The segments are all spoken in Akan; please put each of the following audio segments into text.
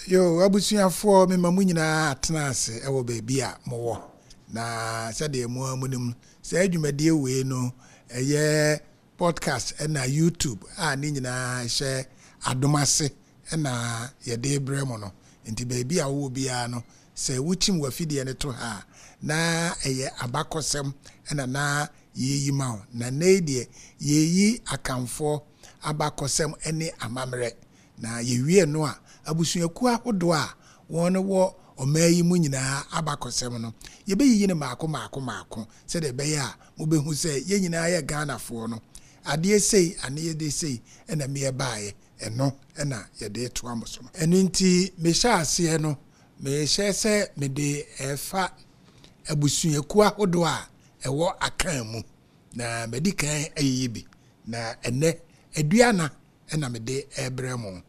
Yo, abusuafoɔ, mema mo nyinaa atena ase wɔ baabi a mowɔ. Na sɛdeɛ mo ara monim, saa dwumadie wei no, ɛyɛ podcast ɛna YouTube a ne nyinaa hyɛ adom ase na yɛde rebrɛ mo no. Nti baabi a wowɔ biara no, sɛ wokyim w'afidie no to ha a, na ɛyɛ abakɔsɛm na na yɛreyi ma wo. Na nnɛ yi deɛ, yɛreyi Akanfoɔ abakɔsɛm ne amammerɛ. Na yɛwie no a, abusuakuo ahodoɔ a wɔn wɔ ɔman yi mu nyinaa abakɔsɛm no, yɛbɛyiyi no mmaako mmaako mmaako sɛdeɛ ɛbɛyɛ a mobɛhu sɛ yɛn nyinaa yɛ Ghanafoɔ no, adeɛ sei ane adeɛ sei na meɛ baeɛ, ɛno na yɛde retoa mo so no. Ɛno nti mehyɛ aseɛ no, mehyɛ sɛ mede refa abusuakuo ahodoɔ a ɛwɔ Akan mu, na madi kan ayiyi bi, na ɛnnɛ Aduana na mede rebrɛ mo.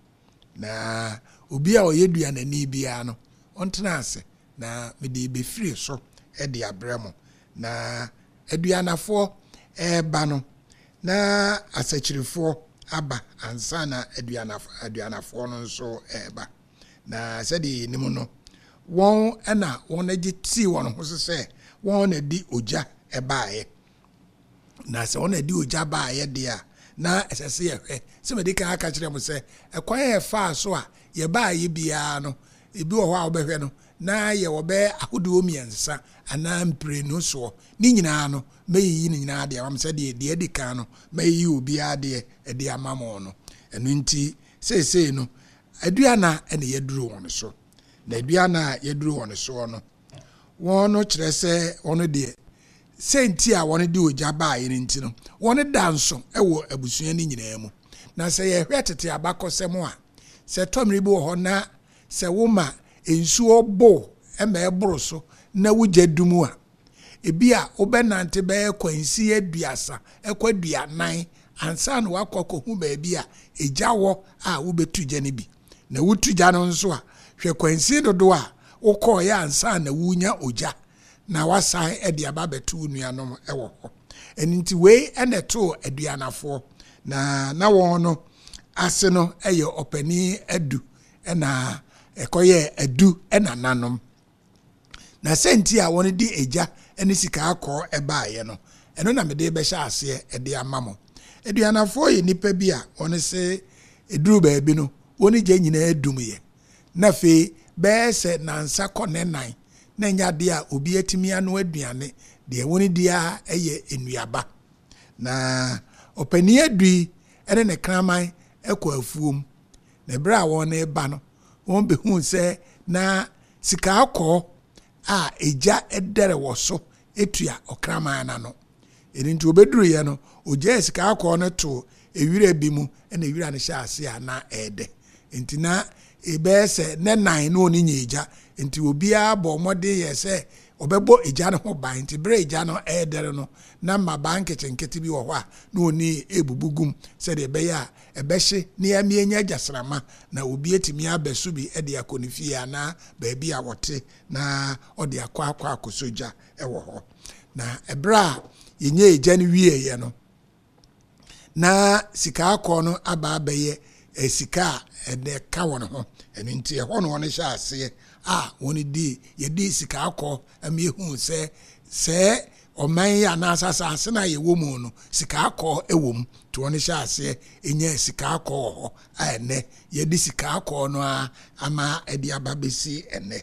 Na obi a ɔyɛ duanani biara no, ɔntena ase, na mede rebɛfiri so de abrɛ mo. Na aduanafoɔ reba no, na asakyirifoɔ aba ansa na aduanafoɔ no nso reba. Na sɛdeɛ yɛnim no, wɔn na wɔgye tii wɔn ho so sɛ wɔn na de ogya baeɛ. Na sɛ wɔn na ɛde ogya baeɛ deɛ a, na ɛsɛ sɛ yɛhwɛ. Sɛ madi kan aka kyerɛ mo sɛ, ɛkwan a yɛfaa so a yɛbaeɛ biara no, ebi wɔ hɔ a wobɛhwɛ no, na yɛwɔ bɛyɛ ahodoɔ mmiɛnsa anaa mprenu soɔ. Ne nyinaa no, mɛyiyi ne nyinaa de ama mo sɛdeɛ deɛ adi kan no, mɛyiyi obiara deɛ de ama mo no. Ɛno nti, seesei no, aduana na yɛaduru wɔn so. Na aduana a yɛaduru wɔn soɔ no, wɔn no kyerɛ sɛ wɔn deɛ, sɛ nti a wɔn de ogya baeɛ no nti no, wɔn da nso wɔ abusua no nyinaa mu. Na sɛ yɛhwɛ tete abakɔsɛm a, sɛ ɛtɔ mmere bi wɔ hɔ na sɛ woma nsuo bo ma ɛboro so na wo gya dum a, ebi a wobɛnante bɛyɛ kwansin 30 kɔ 40 ansa na woakɔ akɔhu baabi a egya wɔ a wobɛtu gya no bi. Na wotu gya no nso a, hwɛ kwansin dodoɔ a wokɔeɛ ansa na worenya ogya na woasan de aba abɛto wo nuanom wɔ hɔ. Ɛno nti wei na ɛtoo Aduanafoɔ. Na na wɔn no ase no yɛ ɔpanin Adu na ɛkɔyɛɛ Adu nananom. Na sɛ nti a wɔde egya ne sika akɔɔ baeɛ no, ɛno na mede rebɛhyɛ aseɛ de ama mo. Aduanafoɔ yɛ nnipa bi a wɔn se ɛduru baabi no, wɔn gya nyinaa dumyɛ. Na afei bɛyɛ sɛ nansa kɔ nnɛnan na ɛnyɛ adeɛ a obi atumi anoa aduane, deɛ wɔn di ara yɛ nnuaba. Na ɔpanin Adu yi ne ne kraman kɔ afuom. Na berɛ a wɔreba no, wɔbɛhuu sɛ na Sikaakɔɔ a egya dɛre wɔ so tua ɔkraman no ano. Ɛno nti wɔbɛduruiɛ no, ɔgyaee sikaakɔɔ no too ewira bi mu na ewira no hyɛɛ aseɛ a na ɛredɛ. Nti na ɛbɛyɛ sɛ nnɛ nan na wɔn nyɛ egya. Nti obiara bɔɔ mmɔden yɛɛ sɛ ɔbɛbɔ egya no ho ban. Nti berɛ a egya no redɛre no, na mmabaa nketenkete bi wɔ hɔ a na wɔn rebubu gu mu sɛdeɛ ɛbɛyɛ a ɛbɛhye na yɛama yɛanya gyasramma na obi atumi abɛso bi de akɔ ne fie anaa baabi a ɔte na ɔde akɔ akɔ akɔsɔ gya wɔ hɔ. Na ɛberɛ a yɛnyaa gya no wieeɛ no, na sika akɔɔ no aba abɛyɛ sika a ɛka wɔn ho. Ɛno nti ɛhɔ na wɔn hyɛ aseɛ a wɔn di yɛdi sika akɔɔ ma yɛhuu sɛ sɛɛ ɔman yi anaasɛ asase no a yɛwɔ mu no, sika akɔɔ wɔ mu. Nti wɔn hyɛ aseɛ nyaa sika akɔɔ wɔ hɔ a ɛnnɛ yɛde sika akɔɔ no ara ama ɛde aba bɛsi ɛnnɛ.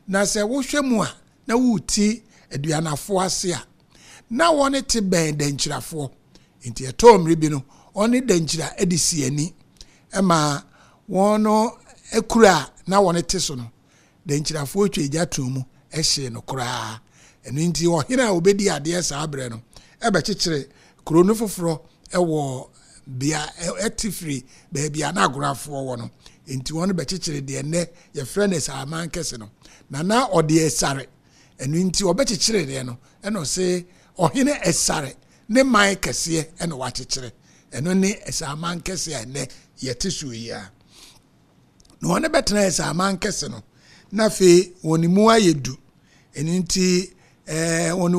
Na sɛ wohwɛ mu a, na woreti aduanafoɔ ase a, na wɔn te bɛn dankyirafoɔ. Nti ɛtɔɔ mmere bi no, wɔn dankyira de si ani ma wɔn kura a na wɔn te so no, Denkyirafoɔ twaa gya too mu hyee no koraa. Ɛno nti ɔhene a ɔbɛdii adeɛ saa berɛ no bɛkyekyere kuro no foforɔ wɔ bea ɛte firi baabi a na agorafoɔ wɔ no. Nti wɔn bɛkyekyere deɛ nnɛ yɛfrɛ no Saaman kɛse no. Na na ɔde Ɛsare. Ɛno nti ɔbɛkyekyere deɛ no ɛna ɔse ɔhene Ɛsare ne man kɛseɛ ɛna wakyekyere. Ɛno ne Saaman kɛse a nnɛ yɛte soɔ yi ara. Na wɔn bɛtenae sɛ aman kɛse no, na afei wɔn mu ayɛ du. Ɛno nti, ɛɛ wɔn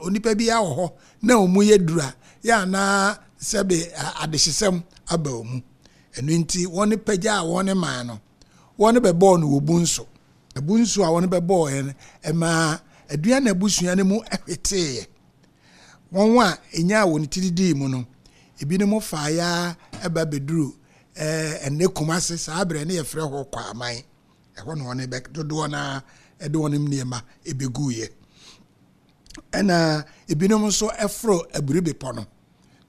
onipa bi wɔ hɔ na wɔn mu yɛ duru a, yɛ anaa sɛbe adehyesɛm aba wɔn mu. Ɛno nti, wɔn pagya a wɔn man no, wɔn bɛbɔɔ no wɔ Bunso. Bunso a wɔn bɛbɔɔɛ no, ɛmaa Aduana abusua no mu hweteeɛ. Wɔn a ɛnyaa wɔn ti didii mu no, ebinom faeɛ ara ba bɛduruu ɛnnɛ Kumase, saa berɛ no yɛfrɛ hɔ Kwaman. Ɛhɔ na wɔn bɛ dodoɔ no ara de wɔn nneɛma bɛguiɛ. Ɛna ebinom nso foro Aburi Bepɔ no.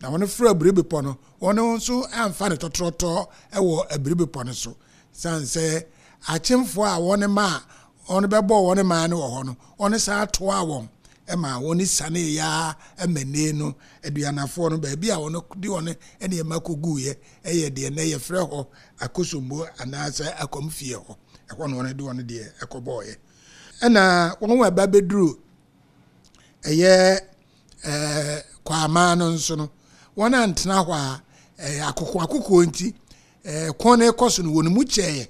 Na wɔn foro Aburi Bepɔ no, wɔn nso amfa no tɔtrɔtɔ wɔ Aburi Bepɔ no so. Sane sɛ akyemfoɔ a wɔn maa wɔn bɛbɔɔ wɔn man no wɔ hɔ no, wɔn san toaa wɔn ma wɔn sianeeɛ ara ma nnee no Aduanafoɔ no baabi a wɔn de wɔn nneɛma kɔguiɛ yɛ deɛ nnɛ yɛfrɛ hɔ Akosombo anaasɛ Akwamfie hɔ. Ɛhɔ na wɔn de wɔn deɛ kɔbɔeɛ. Ɛna wɔn a ɛba bɛduru ɛyɛ ɛɛ Kwaman no nso no, wɔn antena hɔ a ɛɛ akokoakokoɔ nti ɛɛ ko no rekɔ so no wɔn mu kyɛeɛ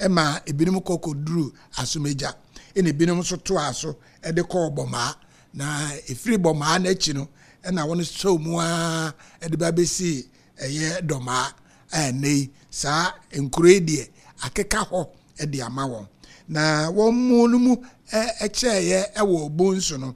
ma ebinom kɔ kɔduru Asomagya ɛna ebinom nso toaa so de kɔɔ Bɔmaa. Na ɛfiri Bɔmaa no akyi no ɛna wɔn sɔɔ mu ara de ba bɛsii ɛyɛ Dɔmaa a ɛnnɛ yi saa nkuro yi deɛ akeka hɔ de ama wɔn. Na wɔn mu no mu kyɛeɛ wɔ Bonsu no,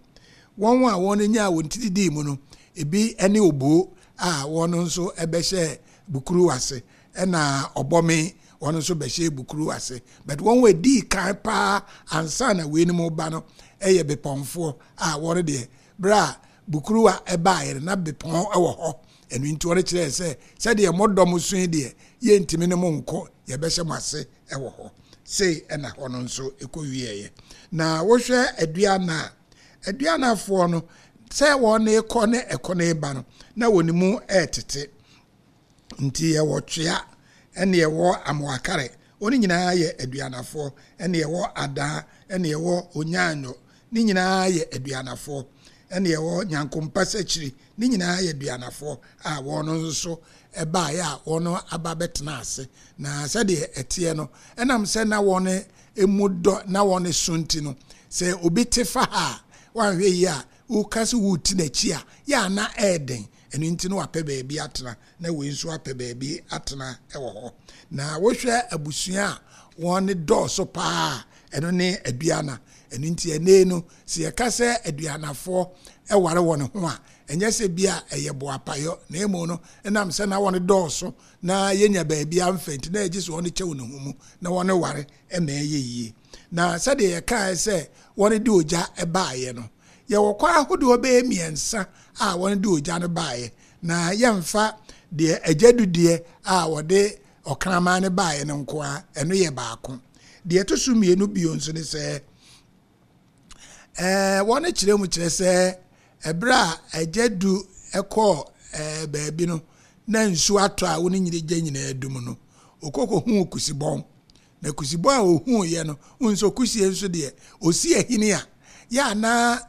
wɔn a wɔn nyaa wɔn ti didii mu no, ebi ne Oboo a wɔn nso bɛhyɛɛ Bukuru ase, ɛna Ɔbɔme wɔn nso bɛhyɛɛ Bukuru ase. But wɔn a ɛdii kan paa ansa na weinom reba no yɛ Bepɔnfoɔ a wɔn deɛ berɛ a Bukuruwa baeɛ no na Bepɔn wɔ hɔ. Ɛno nti wɔn kyerɛɛ sɛ sɛdeɛ mo dɔm so yi deɛ yɛntumi ne mo nko, yɛbɛhyɛ mo ase wɔ hɔ. Sei na hɔ no nso kɔwieeɛ. Na wohwɛ Aduana a, Aduanafoɔ no, sɛ wɔn rekɔ ne ɛkɔ no reba no, na wɔn mu retete. Nti yɛwɔ Twea, ɛne yɛwɔ Amoakare, wɔn nyinaa yɛ Aduanafoɔ, ɛne yɛwɔ Adaa, ɛne yɛwɔ Onyaanyo, ne nyinaa yɛ Aduanafoɔ, ɛne yɛwɔ Nyankompasakyiri, ne nyinaa yɛ Aduanafoɔ a wɔn nso baeɛ a wɔn aba bɛtena ase. Na sɛdeɛ ɛteɛ no, ɛnam sɛ na wɔn mu dɔ na wɔn so nti no, sɛ obi te fa ha a, wanhwɛ yie a, woka sɛ woreti n'akyi a, yɛ a na ɛyɛ den. Ɛno nti na wapɛ baabi atena, na wei nso apɛ baabi atena wɔ hɔ. Na wohwɛ abusua a wɔn dɔɔso paa a, ɛno ne Aduana. Ɛno nti ɛnnɛ yi no, sɛ yɛka sɛ Aduanafoɔ ware wɔn ho a, ɛnyɛ sɛ bi a ɛyɛ boapayɔ, na mmom no, ɛnam sɛ na wɔn dɔɔso na yɛnya baabi amfa nti, na ɛgye sɛ wɔn kyɛ wɔn ho mu na wɔn ware ma ɛyɛ yie. Na sɛdeɛ yɛkaeɛ sɛ wɔn de ogya baeɛ no, yɛwɔ kwan ahodoɔ bɛyɛ mmiɛnsa a wɔn de ogya no baeɛ, na yɛmfa deɛ agya dudeɛ a wɔde ɔkraman no baeɛ no nko ara, ɛno yɛ baako. Deɛ ɛto so mmienu bio nso ne sɛ, ɛɛ wɔn kyerɛ mu kyerɛ sɛ ɛberɛ a agya du kɔɔ ɛɛ baabi no na nsuo atɔ a wɔn nyina gya nyinaa dum no, ɔkɔkɔhuu kusibɔn. Na kusibɔn a ɔhuuiɛ no, wohu sɛ kusie nso deɛ ɔsi ahini a, yɛ a na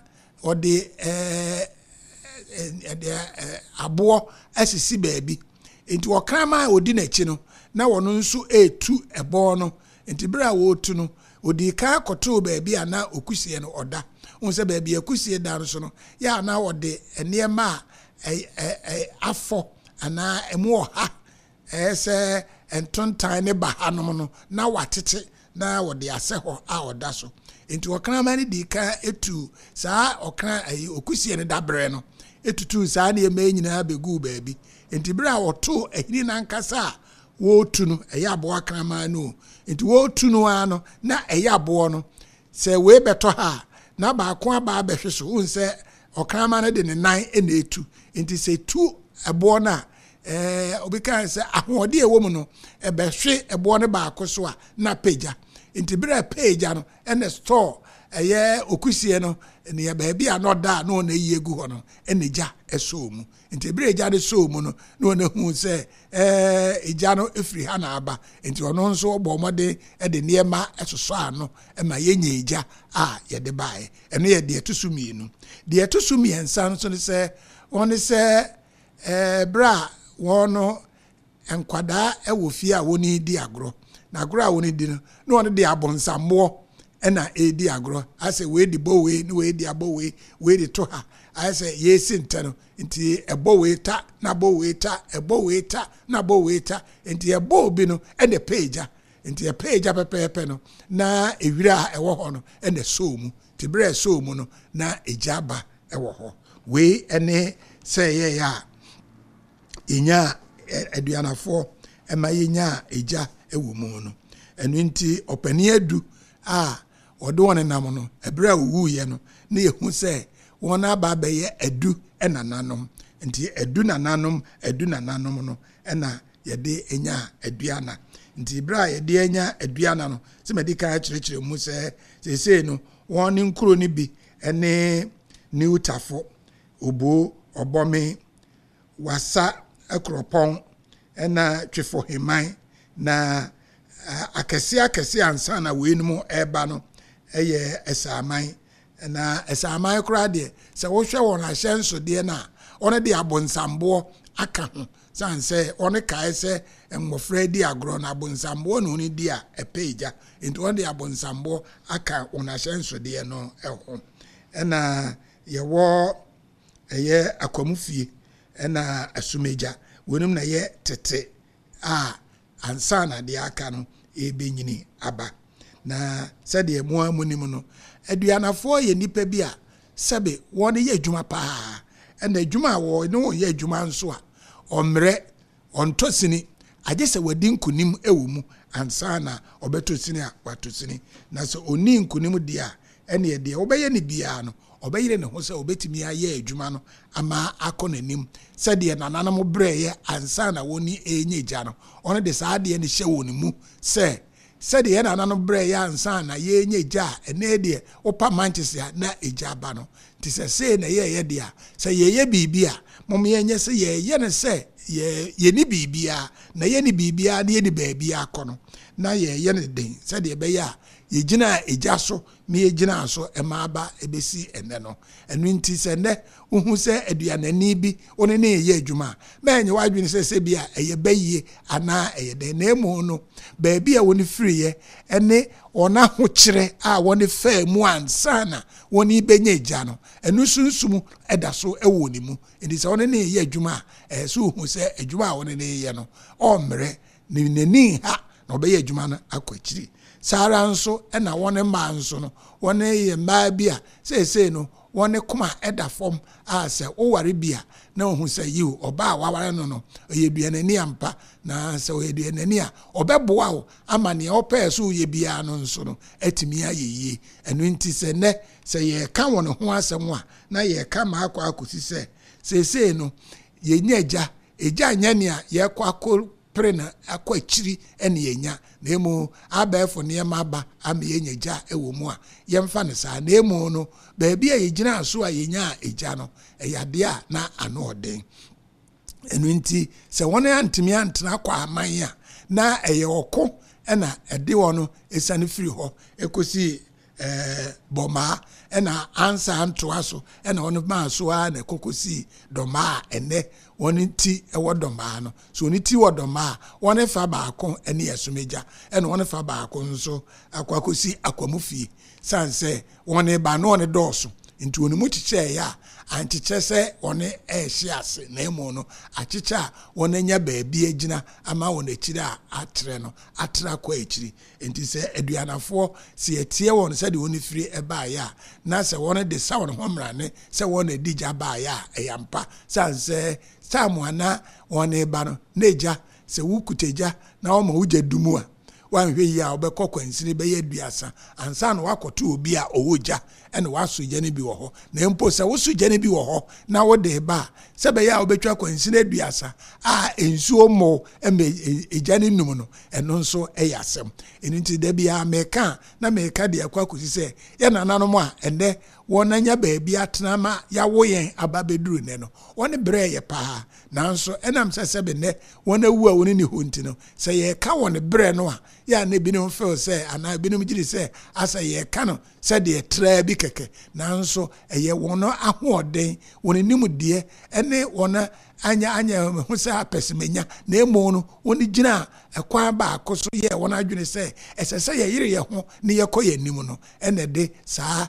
ɔde ɛɛ ɛde aboɔ asisi baabi. Nti ɔkraman a ɔdi n'akyi no, na wɔn nso retu ɛbɔn no. Nti berɛ a wɔretu no, ɔdii kan kɔtoo baabi a na okusie no ɔda. Wohu sɛ baabi a kusie da no so no, yɛ a na ɔde nneɛma a afɔ anaa ɛmu ɔha Ɛyɛ sɛ ntontan ne bahanom no, na wɔatete na wɔde asɛ hɔ a ɔda so. Enti ɔkraman no dii kan tuu saa ɔkra ayi okusie no dabrɛ no, etutuu saa nneɛma yi nyinaa beguu baabi. Enti bere a wɔtoo ahini no ankasa a wɔretu no, ɛyɛ aboa kraman no o, enti wɔretu no ara no, na ɛyɛ aboɔ no. Sɛ wei bɛtɔ ha a, na baako aba abɛhwe so. Wohu sɛ ɔkraman no de ne nan na etu. Enti sɛ etu ɛboɔ no a, ɛɛ obi kae sɛ ahoɔden a ɛwɔ mu no, ɛbɛhwe ɛboɔ no baako so a, na apagya. Nti berɛ a ɛpagya no, ɛna store ɛyɛ okusie no, nea baabi a na ɔda a na wɔn ayi agu hɔ no, ɛna gya ɛsɔɔ mu. Nti berɛ a gya no sɔɔ mu no, na wɔn ahu sɛ ɛɛ egya no efiri ha na aba. Nti ɔno nso ɔbɔ mmɔden de nneɛma ɛsosɔ ano ma yɛnya egya a yɛde baeɛ. Ɛno yɛ deɛ ɛto so mmienu. Deɛ ɛto so mmiɛnsa nso ne sɛ, wɔn ne sɛ Ɛɛ, berɛ a wɔn no nkwadaa wɔ fie a wɔredi agorɔ, na agorɔ a wɔredi no, na wɔn de abonsammoɔ na ɛredi agorɔ. Ayɛ sɛ wei de bɔ wei, na wei de abɔ wei, wei de to ha. Ayɛ sɛ yɛresi ntɛ no, nti ɛbɔ wei ta, na abɔ wei ta, ɛbɔ wei ta, na abɔ wei ta. Nti ɛbɔ obi no, ɛna ɛpɛ egya. Nti ɛpɛɛ gya pɛpɛɛpɛ no, na ewira a ɛwɔ hɔ no na ɛsɔɔ mu. Nti berɛ a ɛsɔɔ mu no, na egya ba wɔ hɔ. Wei ne sɛ ɛyɛeɛ a yɛnyaa aduanafoɔ ma yɛnyaa egya wɔ mu no. Ɛno nti ɔpanin adu a wɔde wɔn nenam no, ɛberɛ a wɔwuiɛ no, na yɛhu sɛ wɔn aba abɛyɛ adu nananom. Nti adu nananom, adu nananom no na yɛde nyaa aduana. Nti berɛ a yɛde anya aduana no, sɛ madi kan akyerɛkyerɛ mu sɛ seesei no wɔn ne nkuro no bi ne New Tafo, Oboo, Ɔbɔme, Wassa Kuropɔn na Twefo Heman. Na akɛseɛ akɛseɛ ansa na weinom reba no yɛ Ɛsaaman. Na Ɛsaaman koraa deɛ, sɛ wohwɛ wɔn ahyɛnsodeɛ no a, wɔn de abonsamboɔ aka ho. Sane sɛ wɔn kae sɛ mmɔfra di agorɔ no, abonsamboɔ na wɔn di a ɛpɛ egya. Nti wɔn de abonsamboɔ aka wɔn ahyɛnsodeɛ no ho. Ɛna yɛwɔ ɛyɛ Akwamu fie ɛna Asumegya. Weinom na ɛyɛ tete a ansa na deɛ aka no ɛrebɛnyini aba. Na sɛdeɛ mo ara monim no, Aduanafoɔ yɛ nnipa bi a sɛbe wɔyɛ adwuma pa ara. Ɛna adwuma a wɔne wɔn yɛ adwuma nso a, ɔmmrɛ, ɔntɔ sini, agye sɛ wadi nkonim wɔ mu ansa na ɔbɛtɔ sini a watɔ sini. Na sɛ ɔnnii nkonim deɛ a, ɛnneɛ deɛ wobɛyɛ no biara no, ɔbɛyere ne ho sɛ ɔbɛtumi ayɛ adwuma no ama akɔ n'anim sɛdeɛ nananom brɛeɛ ansa na wɔn renya gya no. Ɔno de saa adeɛ no hyɛ wɔn mu sɛ, sɛdeɛ yɛn nananom brɛeɛ ansa na yɛrenya gya a, ɛnnɛ deɛ wopa mankyese a na egya aba no. Nti sɛ sei na yɛreyɛ deɛ a, sɛ yɛreyɛ biribi a, mom yɛnyɛ sɛ yɛreyɛ no sɛ yɛ yɛnni biribiara, na yɛnni biribiara na yɛnni baabiara kɔ no, na yɛreyɛ no den sɛdeɛ ɛbɛyɛ a yɛgyinaa egya so na yɛgyinaa so ma aba bɛsi ɛnnɛ no. Ɛno nti sɛ nnɛ wohu sɛ aduanani bi wo ne no reyɛ adwuma a, ma ɛnyɛ w'adwene sɛ sɛ bi a ɛyɛ bayie anaa ɛyɛ dɛn, na mmom no baabi a wɔn firiiɛ ne wɔn ahokyerɛ a wɔn faa mu ansa na wɔn rebɛnya agya no, ɛno sunsum da so wɔ ne mu. Nti sɛ wo ne no reyɛ adwuma a, ɛyɛ sɛ wohu sɛ adwuma a wo ne no reyɛ no, ɔremmrɛ, n'ani nha na ɔbɛyɛ adwuma no akɔ akyiri. Saa ara nso na wɔn mmaa nso no, wɔn yɛ mmaa bi a seesei no wɔn koma da fam a sɛ woware bi a na ohu sɛ yiw, ɔbaa a waware no no, ɔyɛ duanani ampa, na sɛ ɔyɛ duanani a, ɔbɛboa wo ama nea wopɛɛ sɛ woyɛ biara no nso no atumi ayɛ yie. Ɛno nti sɛ nnɛ sɛ yɛreka wɔn ho asɛm a, na yɛreka ma akɔ akɔsi sɛ seesei no yɛnya agya. Agya nyɛ nea yɛkɔ akɔ pere no akɔ akyiri na yɛanya, na mmom abɛɛfo nneɛma aba ama yɛanya gya wɔ mu a, yɛmfa no saa. Na mmom no, baabi a yɛgyinaa so a yɛnyaa egya no, ɛyɛ adeɛ a na ano ɔden. Ɛno nti, sɛ wɔn antumi antena kɔ aman a, na ɛyɛ ɔko na ɛde wɔn siane firi hɔ kɔsi ɛɛ Bɔmaa, ɛna ansa antoa so ɛna wɔn maa so ara na ɛkɔ kɔsii Dɔmaa a ɛnɛ wɔn ti wɔ Dɔmaa no. So wɔn ti wɔ Dɔmaa a, wɔn fa baako ne Ɛsomagya, ɛna wɔn fa baako nso akɔ akɔsi Akwamu fie. Sane sɛ wɔn ba no wɔn dɔɔso nti wɔn mu kyekyɛeɛ a, ankyekyɛ sɛ wɔn ɛrehye ase na mmom no akyekyɛ a wɔn anya baabi agyina ama wɔn akyiri a atrɛ no atra kɔ akyiri. Enti sɛ aduanafoɔ, sɛ yɛteɛ wɔn sɛdeɛ wɔn firi baeɛ a, na sɛ wɔn de sa wɔn ho mmrane sɛ wɔn na ɛdi gya baeɛ a, ɛyɛ ampa. Sane sɛ time a na wɔn reba no, na egya, sɛ wokuta gya na wɔma wo gya du mu a, woanhwɛ yie a wobɛkɔ kwansini bɛyɛ aduasa ansa na woakɔto obi a ɔwɔ gya na wasɔ gya no bi wɔ hɔ. Na mpo sɛ wosɔ gya no bi wɔ hɔ na wode reba a, sɛ ɛbɛyɛ a wobɛtwa kwansini aduasa a nsuo mmɔ ma egya no nnum no, ɛno nso yɛ asɛm. Ɛno nti da biara meka a, na meka de akɔ akɔsi sɛ yɛn nananom a ɛnnɛ wɔanya baabi atena ma yɛawo yɛn aba abɛduru nnɛ no, wɔn brɛɛ yɛ paa. Nanso ɛnam sɛ sɛbe nnɛ wɔn awu a wɔn nni hɔ nti no, sɛ yɛreka wɔn brɛ no a, yɛ a na ebinom feel sɛ anaa ebinom gye di sɛ asɛ yɛreka no sɛdeɛ traa bi kɛkɛ, nanso ɛyɛ wɔn ahoɔden, wɔn nimdeɛ ne wɔn anyɛ anyɛ ho sɛ apɛsɛmenya, na mmom no wɔn gyina ɛkwan baako so yɛɛ wɔn adwene sɛ ɛsɛ sɛ yɛyere yɛn ho na yɛkɔ yɛn anim no, ɛna ɛde saa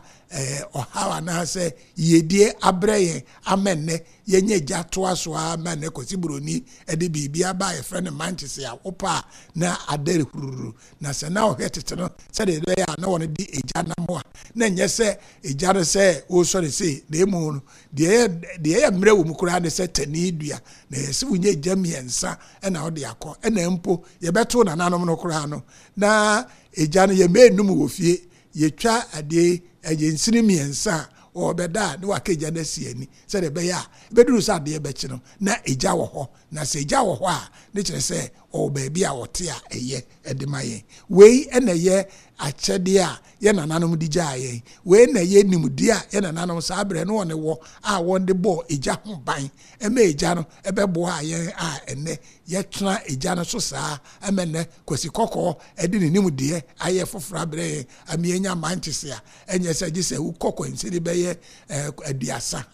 ɔhaw anaasɛ yiedie abrɛ yɛn ama nnɛ yɛnyɛ gya toa so ara ma nnɛ Kwasi Buroni de biribi aba a yɛfrɛ no mankyese a wopɛ a na adɛre hururu. Na sɛ na ɔhwɛ tete no sɛdeɛ ɛbɛyɛ a na wɔn de egya nam a, na ɛnyɛ sɛ egya no sɛ wosɔre sei, na emu no deɛ ɛyɛ deɛ ɛyɛ mmerɛ wɔ mu koraa ne sɛ tani dua, na ɛyɛ sɛ wonya egya mmiɛnsa ɛna wode akɔ. Ɛna mpo yɛbɛto nananom no koraa no, na egya no yɛmmɛ enum wɔ fie, yɛtwa adeɛ ɛyɛ nsini mmiɛnsa a wɔbɛda a na waka egya no asi ani sɛdeɛ ɛbɛyɛ a ɛbɛduru sɛ adeɛ bɛkye no na egya wɔ hɔ. Na sɛ egya wɔ hɔ a, ne kyerɛ sɛ ɔwɔ baabi a ɔte a ɛyɛ de ma yɛn. Wei na ɛyɛ akyɛdeɛ a yɛn nananom de gyaa yɛn. Wei na ɛyɛ nimdeɛ a yɛn nananom saa berɛ no wɔn wɔ a wɔde bɔɔ egya ho ban ma egya no bɛboaa yɛn a ɛnnɛ yɛtena egya no so saa ma nnɛ Kwasi Kɔkɔɔ de ne nimdeɛ ayɛ foforɔ abrɛ yɛn ama yɛanya mankyese a ɛnyɛ sɛ gye sɛ wokɔ kwansini bɛyɛ 30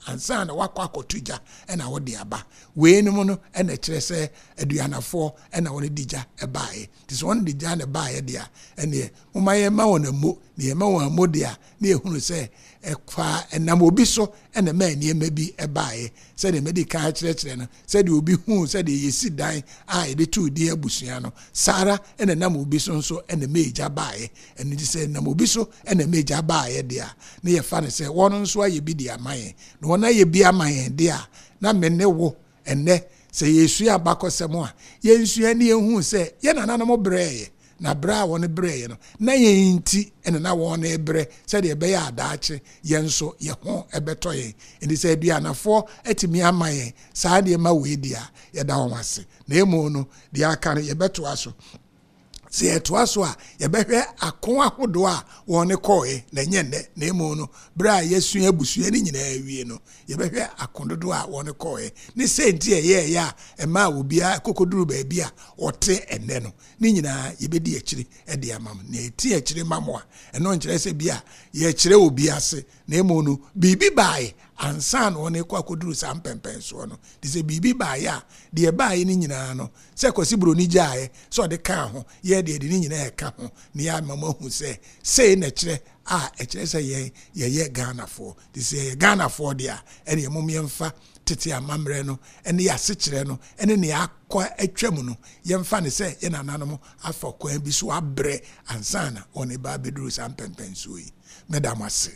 ansa na woakɔ akɔto gya na wode aba. Weinom no na ɛkyerɛ sɛ aduanafoɔ na wɔn de gya baeɛ. Nti sɛ wɔn de gya na ɛbaeɛ deɛ a, ɛnneɛ momma yɛmma wɔn ammo, na yɛma wɔn ammo deɛ a, na yɛhunu sɛ ɛfa ɛnam obi so na ɛmaa nneɛma bi baeɛ. Sɛdeɛ madi kan akyerɛkyerɛ no, sɛdeɛ obi huu sɛdeɛ yɛsi dan a yɛde too din abusua no, saa ara na ɛnam obi so nso na ɛmaa egya baeɛ. Ɛno nti sɛ ɛnam obi so na ɛmaa egya baeɛ deɛ a, na yɛfa no sɛ wɔn nso ayɛ bi de ama yɛn. Na wɔn ayɛ bi ama yɛn deɛ a, na me ne wo ɛnnɛ, sɛ yɛresua abakɔsɛm a, yɛnsua na yɛnhu sɛ yɛn nananom brɛeɛ, na berɛ a wɔn brɛeɛ no, na yɛn nti na na wɔn rebrɛ sɛdeɛ ɛbɛyɛ a daakye yɛn nso yɛn ho bɛtɔ yɛn. Enti sɛ aduanafoɔ atumi ama yɛn saa nneɛma wei deɛ a, yɛda wɔn ase. Na mmom no, deɛ aka no yɛbɛtoa so. Sɛ yɛtoa so a, yɛbɛhwɛ ako ahodoɔ a wɔn kɔɔɛ, na ɛnyɛ nnɛ, na mmom no, berɛ a yɛasua abusua no nyinaa awie no, yɛbɛhwɛ ako dodoɔ a wɔn kɔɔɛ, ne sɛ nti ɛyɛɛyɛ a ɛmaa obiara kɔkɔduru baabi a ɔte ɛnnɛ no. Ne nyinaa yɛbɛdi akyire de ama mo. Na yɛti akyire ma mo a, ɛno nkyerɛ sɛ bi a yɛkyerɛ obi ase, na mmom no, biribi baeɛ ansa na wɔn rekɔ akɔduru saa mpɛmpɛnsoɔ no. Nti sɛ biribi baeɛ a, deɛ ɛbaeɛ no nyinaa no, Sɛ Kwasi Broni gyaeɛ sɛ ɔde kaa ho, yɛn deɛ yɛde ne nyinaa ɛka ho na yɛama mo ahu sɛ sei na ɛkyerɛ a ɛkyerɛ sɛ yɛn yɛyɛ Ghanafoɔ. Nti sɛ yɛyɛ Ghanafoɔ deɛ a, ɛneɛ mom yɛmfa tete amammerɛ no ne yɛn asekyerɛ no ne nea akɔ atwam no, yɛmfa no sɛ yɛn nananom afa kwan bi so abrɛ ansa na wɔn reba abɛduru saa mpɛnpɛnsoɔ yi. Meda mo ase.